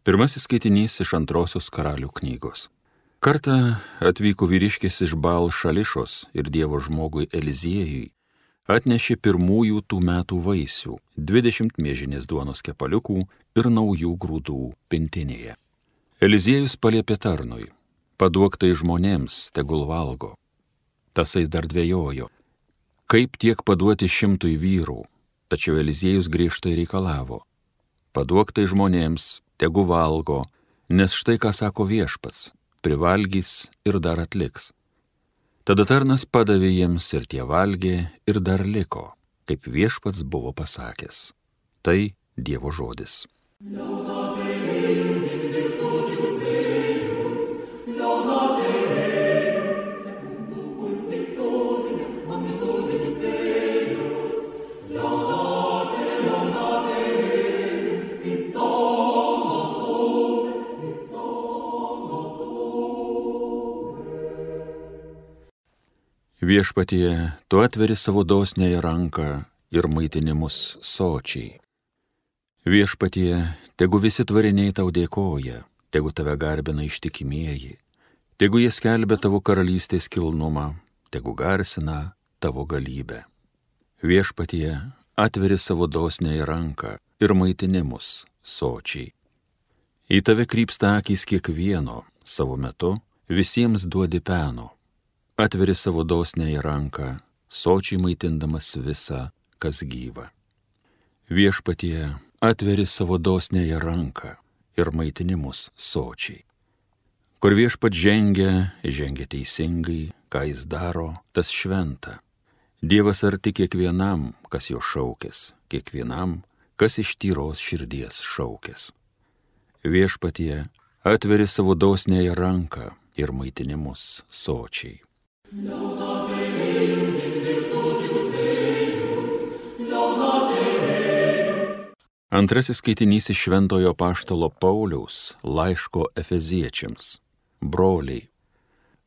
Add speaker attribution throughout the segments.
Speaker 1: Pirmasis skaitinys iš Antrosios Karalių knygos. Kartą atvyko vyriškis iš Baal Šališos ir Dievo žmogui Eliziejui atnešė pirmųjų tų metų vaisių, 20 miežinės duonos kepaliukų ir naujų grūdų pintinėje. Eliziejus paliepė tarnui: paduok tai žmonėms, tegul valgo. Tasai dar dvejojo, kaip tiek paduoti 100 vyrų, tačiau Eliziejus griežtai reikalavo: paduok tai žmonėms, tegu valgo, nes štai ką sako viešpats, privalgys ir dar atliks. Tada tarnas padavė jiems ir tie valgė ir dar liko, kaip viešpats buvo pasakęs. Tai Dievo žodis. Viešpatie, tu atveri savo dosniąją ranką ir maitini mus sočiai. Viešpatie, tegu visi tvariniai tau dėkoja, tegu tave garbina ištikimieji, tegu jie skelbia tavo karalystės kilnumą, tegu garsina tavo galybę. Viešpatie, atveri savo dosniąją ranką ir maitini mus sočiai. Į tave krypsta akys kiekvieno, savo metu visiems duodi peno. Atveri savo dosniąją ranką, sočiai maitindamas visą, kas gyva. Viešpatie, atveri savo dosniąją ranką ir maitini mus sočiai. Kur viešpat žengia teisingai, ką jis daro, tas šventa. Dievas arti kiekvienam, kas jo šaukės, kiekvienam, kas iš tyros širdies šaukės. Viešpatie, atveri savo dosniąją ranką ir maitini mus sočiai. Antrasis skaitinys iš Šventojo Apaštalo Pauliaus laiško Efeziečiams. Broliai,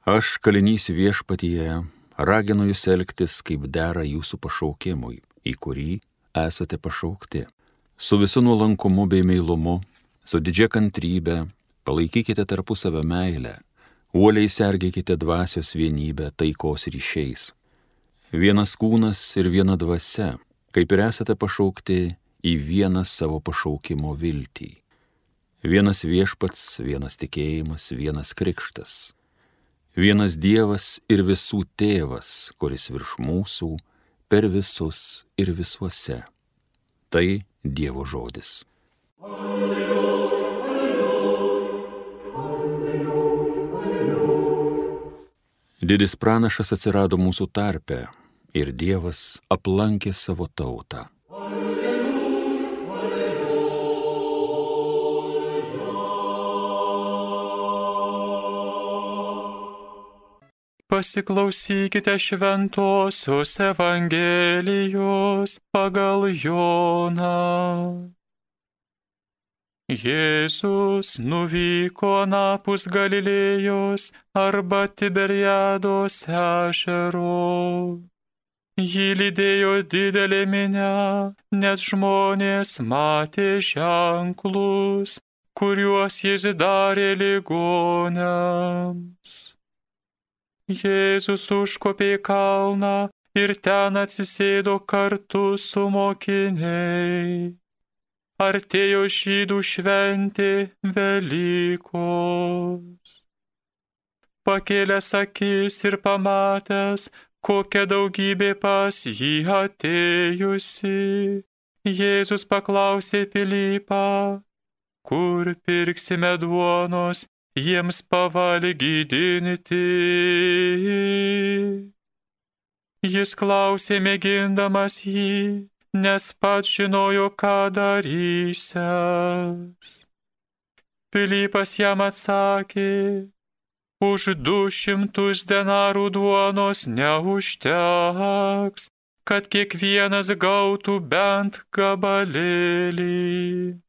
Speaker 1: aš kalinys viešpatyje raginu jūs elgtis, kaip dera jūsų pašaukimui, į kurį esate pašaukti. Su visu nuolankumu bei meilumu, su didžia kantrybe, palaikykite tarpusavio meilę, uoliai sergėkite dvasios vienybę taikos ryšiais. Vienas kūnas ir viena dvasia, kaip ir esate pašaukti į vieną savo pašaukimo viltį. Vienas viešpats, vienas tikėjimas, vienas krikštas. Vienas Dievas ir visų tėvas, kuris virš mūsų, per visus ir visuose. Tai Dievo žodis. Didis pranašas atsirado mūsų tarpe ir Dievas aplankė savo tautą.
Speaker 2: Pasiklausykite šventosios Evangelijos pagal Joną. Jėzus nuvyko anapus Galilėjos arba Tiberiados ežero. Jį lydėjo didelė minia, nes žmonės matė ženklus, kuriuos jis darė ligoniams. Jėzus užkopė į kalną ir ten atsisėdo kartu su mokiniais. Artėjo žydų šventė Velykos. Pakėlęs akis ir pamatęs, kokia daugybė pas jį atėjusi, Jėzus paklausė Pilypą: kur pirksime duonos jiems pavalgydinti? Jis klausė mėgindamas jį, nes pats žinojo, ką darysiąs. Pilypas jam atsakė: už 200 denarų duonos neužteks, kad kiekvienas gautų bent gabalėlį.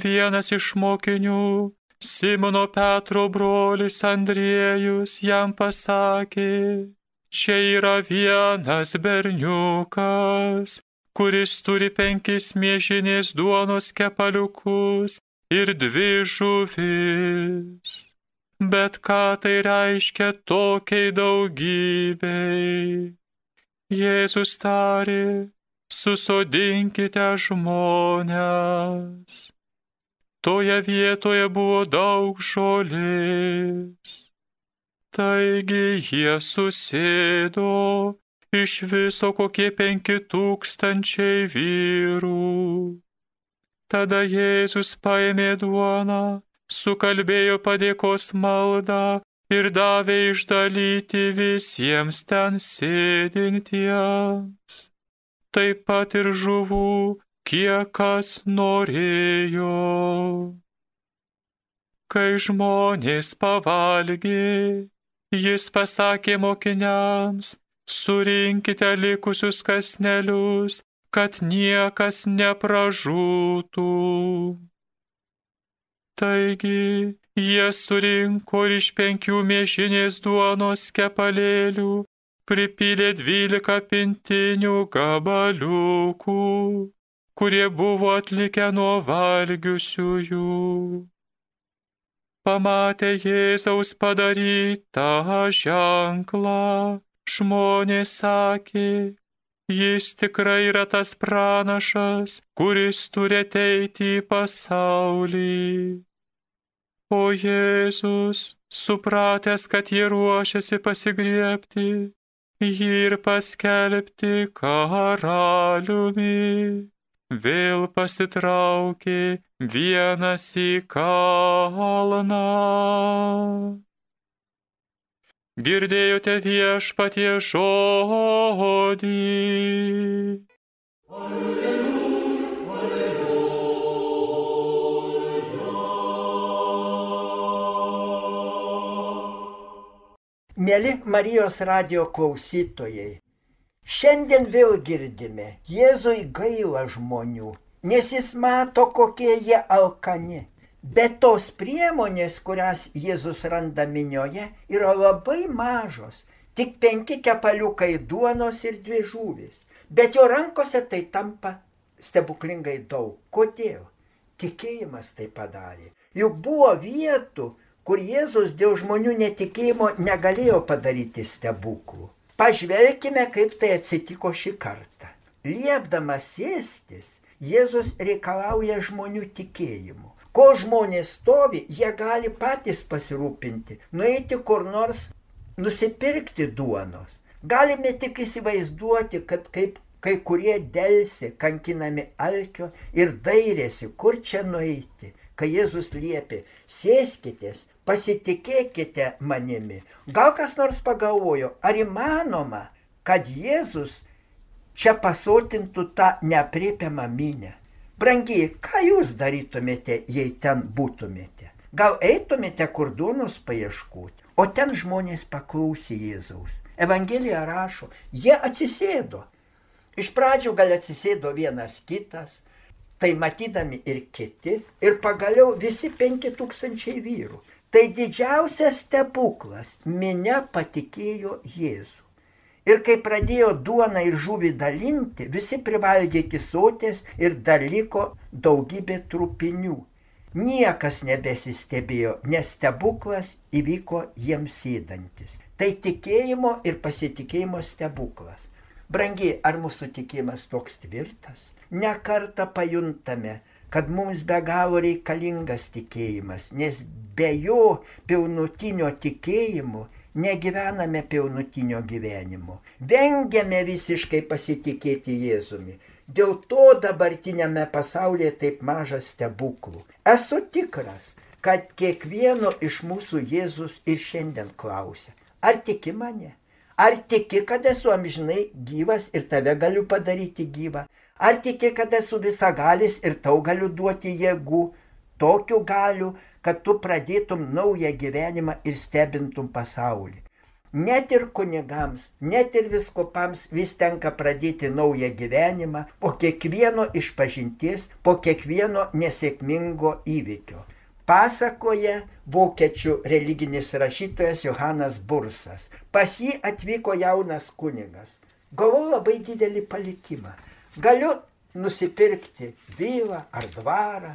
Speaker 2: Vienas iš mokinių, Simono Petro brolis Andriejus, jam pasakė: čia yra vienas berniukas, kuris turi 5 miežinės duonos kepaliukus ir 2 žuvis. Bet ką tai reiškia tokiai daugybei? Jėzus tarė, susodinkite žmones. Toje vietoje buvo daug žolės. Taigi jie susėdo, iš viso kokie 5000 vyrų. Tada Jėzus paėmė duoną, sukalbėjo padėkos maldą ir davė išdalyti visiems ten sėdintiems. Taip pat ir žuvų, kiek kas norėjo. Kai žmonės pavalgė, jis pasakė mokiniams, surinkite likusius kąsnelius, kad niekas nepražūtų. Taigi jie surinko ir iš 5 mėšinės duonos kepalėlių pripylė 12 pintinių gabaliukų, kurie buvo atlikę nuo valgiusiųjų. Pamatę Jėzaus padarytą ženklą, žmonės sakė, jis tikrai yra tas pranašas, kuris turi ateiti į pasaulį. O Jėzus, supratęs, kad jie ruošiasi pasigriebti, jį ir paskelbti karaliumi, vėl pasitraukė vienas į kalną. Girdėjote Viešpaties žodį.
Speaker 3: Alleluja, alleluja. Mieli Marijos radijo klausytojai, šiandien vėl girdime, Jėzui gaila žmonių, nes jis mato, kokie jie alkani. Bet tos priemonės, kurias Jėzus randa minioje, yra labai mažos. Tik 5 kepaliukai duonos ir 2 žuvys. Bet jo rankose tai tampa stebuklingai daug. Kodėl? Tikėjimas tai padarė. Juk buvo vietų, kur Jėzus dėl žmonių netikėjimo negalėjo padaryti stebuklų. Pažvelkime, kaip tai atsitiko šį kartą. Liepdamas sėstis, Jėzus reikalauja žmonių tikėjimo. Ko žmonės stovi, jie gali patys pasirūpinti, nueiti kur nors, nusipirkti duonos. Galime tik įsivaizduoti, kad kaip kai kurie delsė, kankinami alkio ir dairėsi, kur čia nueiti. Kai Jėzus liepė, sėskitės, pasitikėkite manimi. Gal kas nors pagalvojo, ar įmanoma, kad Jėzus čia pasotintų tą neaprėpiamą minią? Brangiai, ką jūs darytumėte, jei ten būtumėte? Gal eitumėte kur duonos paieškoti? O ten žmonės paklausė Jėzaus. Evangelija rašo, jie atsisėdo. Iš pradžių gal atsisėdo vienas kitas, tai matydami ir kiti, ir pagaliau visi 5000 vyrų. Tai didžiausias stebuklas, minia patikėjo Jėzų. Ir kai pradėjo duoną ir žuvį dalinti, visi privalgė iki soties ir dar liko daugybė trupinių. Niekas nebesistebėjo, nes stebuklas įvyko jiems sėdantis. Tai tikėjimo ir pasitikėjimo stebuklas. Brangiai, ar mūsų tikėjimas toks tvirtas? Ne kartą pajuntame, kad mums be galo reikalingas tikėjimas, nes be jo pilnutinio tikėjimo negyvename pilnutinio gyvenimo. Vengiame visiškai pasitikėti Jėzumi. Dėl to dabartinėme pasaulyje taip mažas stebuklų. Esu tikras, kad kiekvieno iš mūsų Jėzus ir šiandien klausia, ar tiki mane? Ar tiki, kad esu amžinai gyvas ir tave galiu padaryti gyvą? Ar tiki, kad esu visagalis ir tau galiu duoti jėgų, tokių galių, kad tu pradėtum naują gyvenimą ir stebintum pasaulį? Net ir kunigams, net ir vyskupams vis tenka pradėti naują gyvenimą po kiekvieno išpažinties, po kiekvieno nesėkmingo įvykio. Pasakoja vokiečių religinis rašytojas Johanas Bursas. Pas jį atvyko jaunas kunigas. Gavau labai didelį palikimą. Galiu nusipirkti vilą ar dvarą,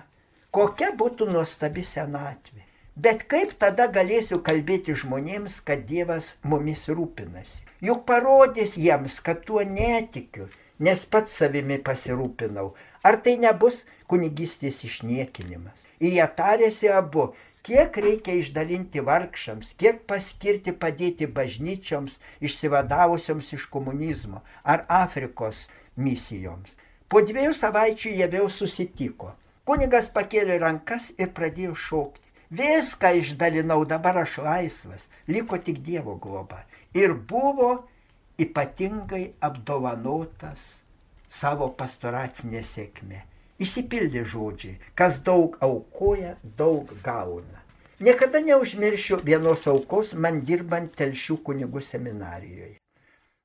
Speaker 3: Kokia būtų nuostabi senatvė. Bet kaip tada galėsiu kalbėti žmonėms, kad Dievas mumis rūpinasi? Juk parodys jiems, kad tuo netikiu, nes pats savimi pasirūpinau. Ar tai nebus kunigystės išniekinimas? Ir jie tarėsi abu, kiek reikia išdalinti vargšams, kiek paskirti padėti bažnyčioms išsivadavusioms iš komunizmo ar Afrikos misijoms. Po 2 savaičių jie vėl susitiko. Kunigas pakėlė rankas ir pradėjo šaukti. Viską išdalinau, dabar aš laisvas, liko tik Dievo globa. Ir buvo ypatingai apdovanotas savo pastoracinė sėkmė. Išsipildė žodžiai, kas daug aukoja, daug gauna. Niekada neužmiršiu vienos aukos man dirbant Telšių kunigų seminarijoje.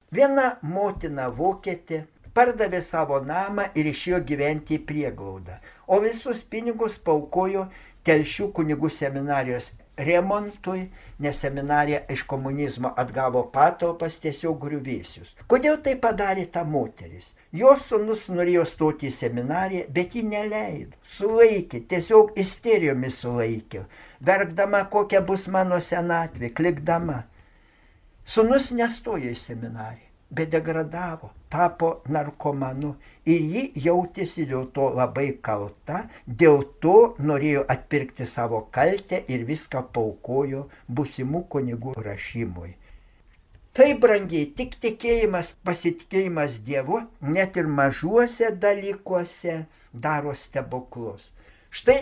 Speaker 3: Viena motina vokietė pardavė savo namą ir išėjo gyventi į prieglaudą, o visus pinigus paaukojo Telšių kunigų seminarijos remontui, nes seminarija iš komunizmo atgavo patalpas tiesiog griuvėsius. Kodėl tai padarė ta moteris? Jos sūnus norėjo stoti į seminariją, bet ji neleido. Sulaikė, tiesiog isterijomis sulaikė. Verkdama, kokia bus mano senatvė, klikdama. Sūnus nestojo į seminariją, bet degradavo, tapo narkomanu ir ji jautėsi dėl to labai kalta, dėl to norėjo atpirkti savo kaltę ir viską paaukojo būsimų kunigų rašymui. Tai brangiai, tik tikėjimas, pasitikėjimas Dievu, net ir mažuose dalykuose daro stebuklus. Štai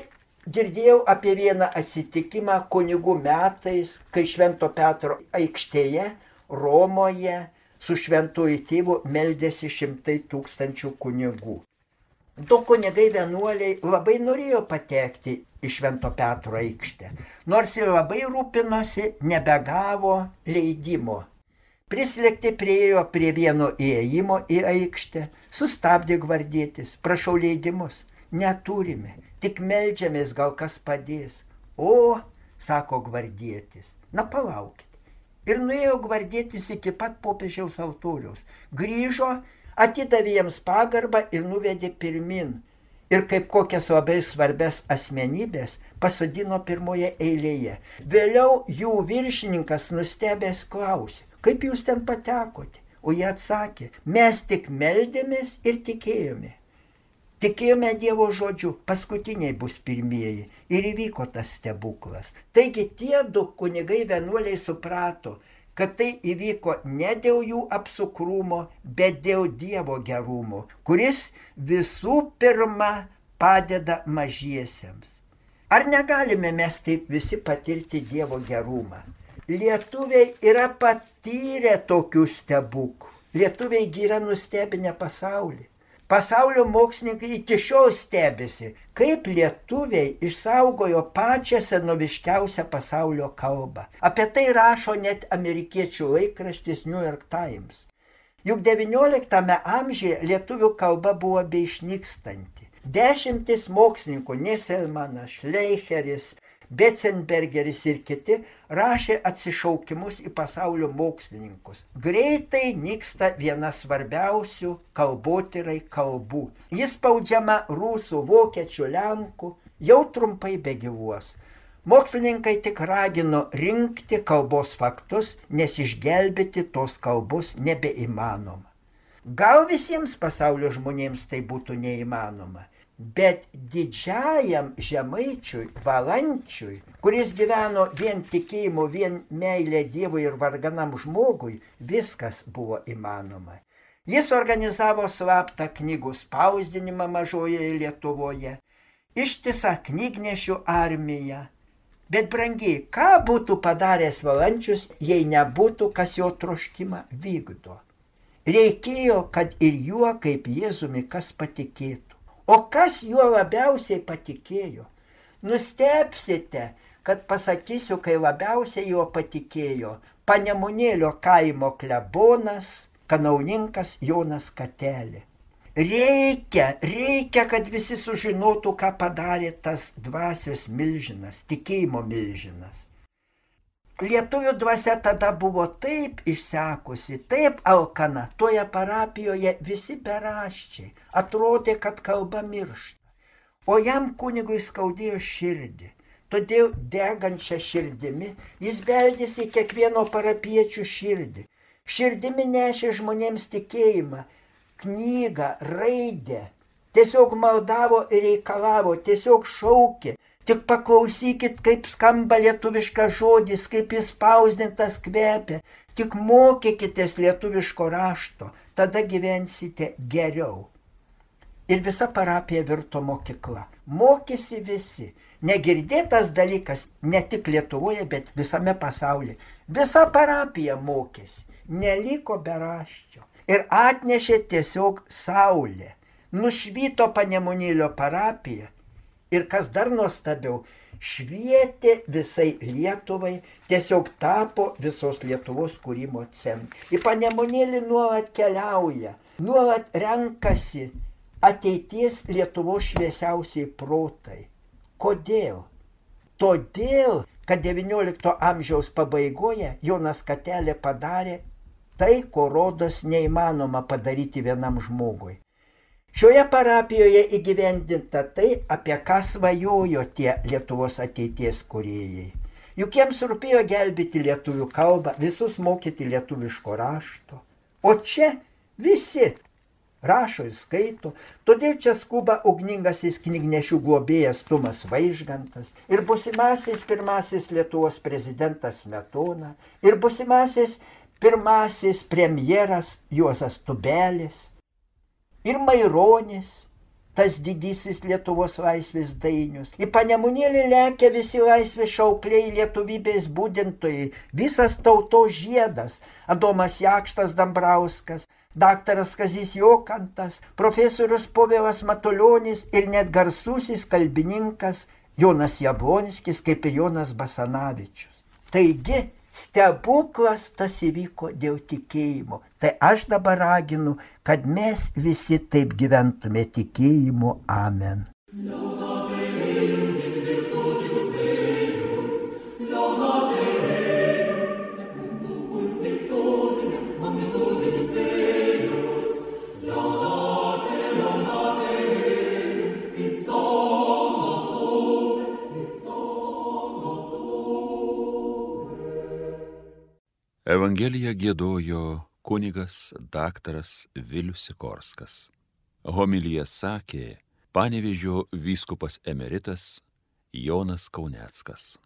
Speaker 3: girdėjau apie vieną atsitikimą kunigų metais, kai Švento Petro aikštėje Romoje su šventuoju tėvu meldėsi 100 000 kunigų. 2 kunigai vienuoliai labai norėjo patekti į Švento Petro aikštę, nors ir labai rūpinosi, nebegavo leidimo. Prislėgti priėjo prie vieno įėjimo į aikštę, sustabdė gvardietis, prašau leidimus, neturime, tik meldžiamės, gal kas padės. O, sako gvardietis, na palaukit. Ir nuėjo gvardietis iki pat popiežiaus altoriaus. Grįžo, atidavė jiems pagarbą ir nuvedė pirmin. Ir kaip kokias labai svarbias asmenybės pasodino pirmoje eilėje. Vėliau jų viršininkas nustebęs klausė, kaip jūs ten patekote? O jie atsakė, mes tik meldėmės ir tikėjome. Tikėjome Dievo žodžiu, paskutiniai bus pirmieji ir įvyko tas stebuklas. Taigi tie 2 kunigai vienuoliai suprato, kad tai įvyko ne dėl jų apsukrumo, bet dėl Dievo gerumo, kuris visų pirma padeda mažiesiems. Ar negalime mes taip visi patirti Dievo gerumą? Lietuviai yra patyrę tokių stebuklų. Lietuviai yra nustebinę pasaulį. Pasaulio mokslininkai iki šiol stebisi, kaip lietuviai išsaugojo pačią senoviškiausią pasaulio kalbą. Apie tai rašo net amerikiečių laikraštis New York Times. Juk XIX amžiuje lietuvių kalba buvo beišnykstanti. 10 mokslininkų, Neselmanas, Šleicheris, Betzenbergeris ir kiti rašė atsišaukimus į pasaulio mokslininkus. Greitai nyksta viena svarbiausių kalbotyrai kalbų. Jis spaudžiama rusų, vokiečių, lenkų, jau trumpai begyvuos. Mokslininkai tik ragino rinkti kalbos faktus, nes išgelbėti tos kalbos nebeįmanoma. Gal visiems pasaulio žmonėms tai būtų neįmanoma. Bet didžiajam žemaičiui, valančiui, kuris gyveno vien tikėjimu, vien meilė Dievui ir varganam žmogui, viskas buvo įmanoma. Jis organizavo slaptą knygų spausdinimą mažojoje Lietuvoje, ištisą knygnešių armiją. Bet brangiai, ką būtų padaręs Valančius, jei nebūtų, kas jo troškimą vykdo? Reikėjo, kad ir juo kaip Jėzumi kas patikėtų. O kas juo labiausiai patikėjo? Nustebsite, kad pasakysiu, kai labiausiai juo patikėjo Panemunėlio kaimo klebonas, kanauninkas Jonas Katelė. Reikia, kad visi sužinotų, ką padarė tas dvasios milžinas, tikėjimo milžinas. Lietuvių dvasia tada buvo taip išsekusi, taip alkana, toje parapijoje visi beraščiai, atrodė, kad kalba miršta. O jam kunigui skaudėjo širdį. Todėl degančią širdimi jis beldėsi į kiekvieno parapiečių širdį. Širdimi nešė žmonėms tikėjimą, knygą, raidę. Tiesiog maldavo ir reikalavo, tiesiog šaukė. Tik paklausykit, kaip skamba lietuviškas žodis, kaip jis spausdintas kvepia. Tik mokykitės lietuviško rašto, tada gyvensite geriau. Ir visa parapija virto mokykla. Mokėsi visi. Negirdėtas dalykas ne tik Lietuvoje, bet visame pasaulyje. Visa parapija mokėsi. Neliko beraščio. Ir atnešė tiesiog saulė. Nušvyto Panemunėlio parapija. Ir kas dar nuostabiau, švietė visai Lietuvai, tiesiog tapo visos Lietuvos kūrimo centru. Į Panemunėlį nuolat keliauja, nuolat renkasi ateities Lietuvos šviesiausiai protai. Kodėl? Todėl, kad XIX amžiaus pabaigoje Jonas Katelė padarė tai, ko rodos neįmanoma padaryti vienam žmogui. Šioje parapijoje įgyvendinta tai, apie ką svajojo tie Lietuvos ateities kūrėjai. Juk jiems rūpėjo gelbėti lietuvių kalbą, visus mokyti lietuviško rašto. O čia visi rašo ir skaito, todėl čia skuba ugningasis knygnešių globėjas Tumas Vaižgantas ir būsimasis pirmasis Lietuvos prezidentas Smetona ir būsimasis pirmasis premjeras Juozas Tubelis ir Maironis, tas didysis Lietuvos laisvės dainius. Į Panemunėlį lekia visi laisvės šaukliai, lietuvybės būdintojai, visas tautos žiedas, Adomas Jakštas Dambrauskas, daktaras Kazys Jokantas, profesorius Povilas Matulionis ir net garsusis kalbininkas Jonas Jablonskis, kaip ir Jonas Basanavičius. Taigi, stebuklas tas įvyko dėl tikėjimo. Tai aš dabar raginu, kad mes visi taip gyventume tikėjimu. Amen.
Speaker 1: Evangeliją giedojo kunigas daktaras Vilius Sikorskas. Homiliją sakė Panevėžio vyskupas emeritas Jonas Kauneckas.